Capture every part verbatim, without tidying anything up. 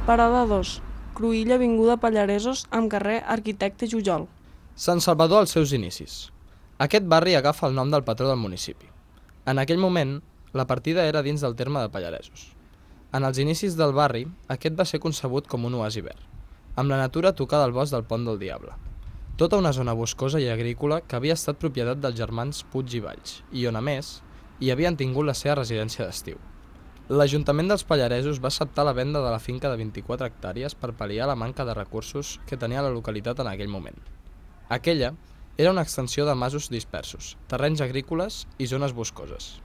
Parada dos. Cruïlla avinguda Pallaresos amb carrer Arquitecte Jujol. Sant Salvador als seus inicis. Aquest barri agafa el nom del patró del municipi. En aquell moment, la partida era dins del terme de Pallaresos. En els inicis del barri, aquest va ser concebut com un oasi verd, amb la natura tocada al bosc del Pont del Diable. Tota una zona boscosa i agrícola que havia estat propietat dels germans Puig i Valls, i on, a més, hi havien tingut la seva residència d'estiu. L'Ajuntament dels Pallaresos va acceptar la venda de la finca de vint-i-quatre hectàrees per pal·liar la manca de recursos que tenia la localitat en aquell moment. Aquella era una extensió de masos dispersos, terrenys agrícoles i zones boscoses.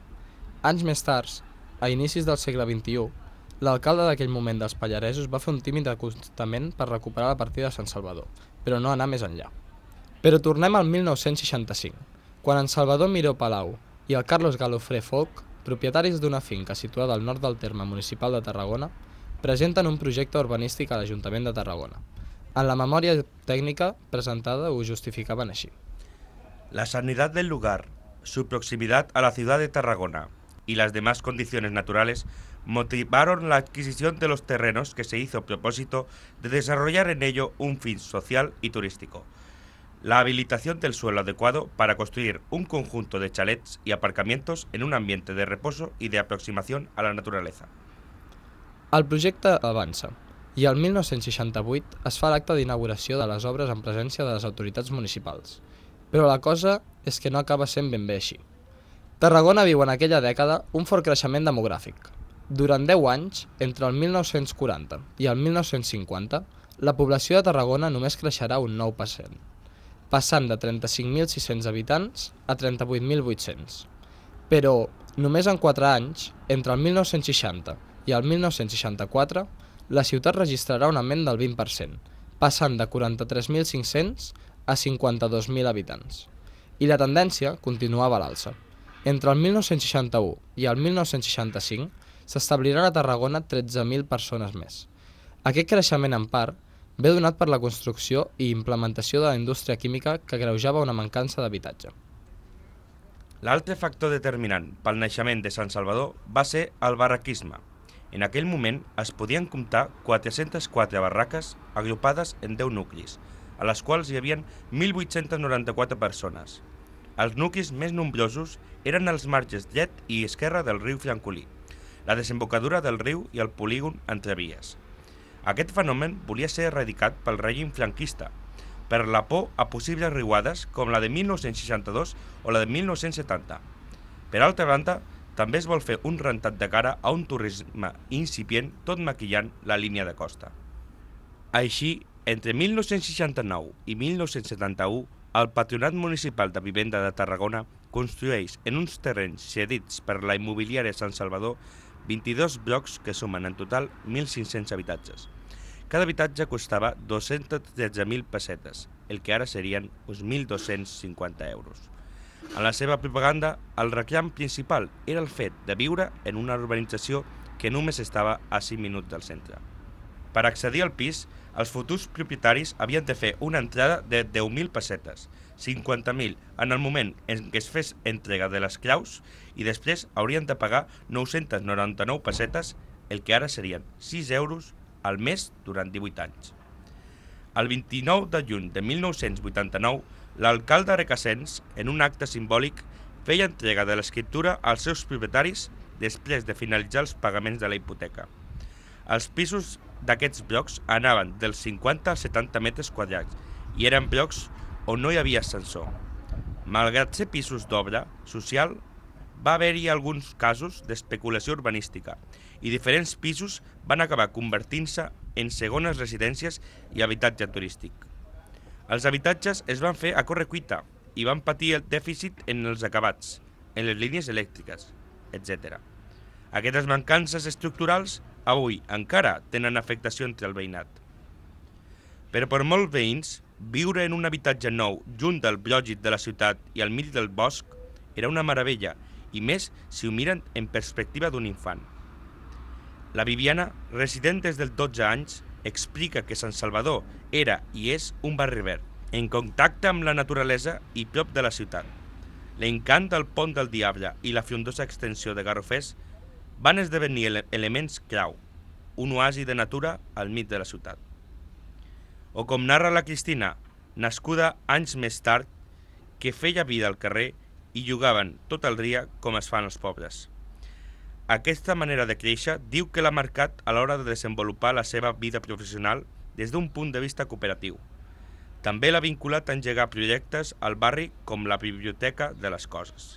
Anys més tard, a inicis del segle vint-i-u, l'alcalde d'aquell moment dels Pallaresos va fer un tímid acostament per recuperar la partida de Sant Salvador, però no anar més enllà. Però tornem al mil nou-cents seixanta-cinc, quan en Salvador Miró Palau i el Carlos Galofré Folch, propietaris d'una finca situada al nord del terme municipal de Tarragona, presenten un projecte urbanístic a l'Ajuntament de Tarragona. En la memòria técnica presentada ho justificaven així. La sanidad del lugar, su proximidad a la ciudad de Tarragona y las demás condiciones naturales motivaron la adquisición de los terrenos que se hizo a propósito de desarrollar en ello un fin social y turístico. La habilitación del suelo adecuado para construir un conjunto de chalets y aparcamientos en un ambiente de reposo y de aproximación a la naturaleza. El projecte avança, i el mil nou-cents seixanta-vuit es fa l'acte d'inauguració de les obres en presència de les autoritats municipals. Però la cosa és que no acaba sent ben bé així. Tarragona viu en aquella dècada un fort creixement demogràfic. Durant deu anys, entre el mil nou-cents quaranta i el mil nou-cents cinquanta, la població de Tarragona només creixerà un nou per cent, passant de trenta-cinc mil sis-cents habitants a trenta-vuit mil vuit-cents. Però, només en quatre anys, entre el mil nou-cents seixanta i el mil nou-cents seixanta-quatre, la ciutat registrarà un augment del vint per cent, passant de quaranta-tres mil cinc-cents a cinquanta-dos mil habitants. I la tendència continuava a l'alça. Entre el mil nou-cents seixanta-u i el mil nou-cents seixanta-cinc s'establiran a Tarragona tretze mil persones més. Aquest creixement, en part, ve donat per la construcció i implementació de la indústria química que agreujava una mancança d'habitatge. L'altre factor determinant pel naixement de Sant Salvador va ser el barraquisme. En aquell moment es podien comptar quatre-centes quatre barraques agrupades en deu nuclis, a les quals hi havia mil vuit-cents noranta-quatre persones. Els nuclis més nombrosos eren els marges dret i esquerre del riu Francolí, la desembocadura del riu i el polígon entre vies. Aquest fenomen volia ser erradicat pel règim franquista, per la por a possibles riuades com la de mil nou-cents seixanta-dos o la de mil nou-cents setanta. Per altra banda, també es vol fer un rentat de cara a un turisme incipient tot maquillant la línia de costa. Així, entre mil nou-cents seixanta-nou i mil nou-cents setanta-u, el Patronat Municipal de Vivenda de Tarragona construeix en uns terrenys cedits per la immobiliària Sant Salvador vint-i-dos blocs que sumen en total mil cinc-cents habitatges. Cada habitatge costava dos-cents tretze mil pessetes, el que ara serien uns mil dos-cents cinquanta euros. En la seva propaganda, el reclam principal era el fet de viure en una urbanització que només estava a cinc minuts del centre. Per accedir al pis, els futurs propietaris havien de fer una entrada de deu mil pessetes, cinquanta mil en el moment en què es fes entrega de les claus i després haurien de pagar nou-cents noranta-nou pessetes, el que ara serien sis euros al mes durant divuit anys. El vint-i-nou de juny de mil nou-cents vuitanta-nou, l'alcalde Recasens, en un acte simbòlic, feia entrega de l'escriptura als seus propietaris després de finalitzar els pagaments de la hipoteca. Els pisos d'aquests blocs anaven dels cinquanta als setanta metres quadrats i eren blocs on no hi havia ascensor. Malgrat ser pisos d'obra social, va haver-hi alguns casos d'especulació urbanística i diferents pisos van acabar convertint-se en segones residències i habitatge turístic. Els habitatges es van fer a correcuita i van patir el dèficit en els acabats, en les línies elèctriques, etcètera. Aquestes mancances estructurals avui encara tenen afectació entre el veïnat. Però per molts veïns, viure en un habitatge nou junt del brògit de la ciutat i al mig del bosc era una meravella, i més si ho miren en perspectiva d'un infant. La Viviana, resident des dels dotze anys, explica que Sant Salvador era i és un barri verd, en contacte amb la naturalesa i prop de la ciutat. L'encant del Pont del Diable i la frondosa extensió de Garrofers van esdevenir ele elements clau. un oasi de natura al mig de la ciutat. O com narra la Cristina, nascuda anys més tard, que feia vida al carrer i jugaven tot el dia com es fan els pobres. Aquesta manera de créixer diu que l'ha marcat a l'hora de desenvolupar la seva vida professional des d'un punt de vista cooperatiu. També l'ha vinculat a engegar projectes al barri com la Biblioteca de les Coses.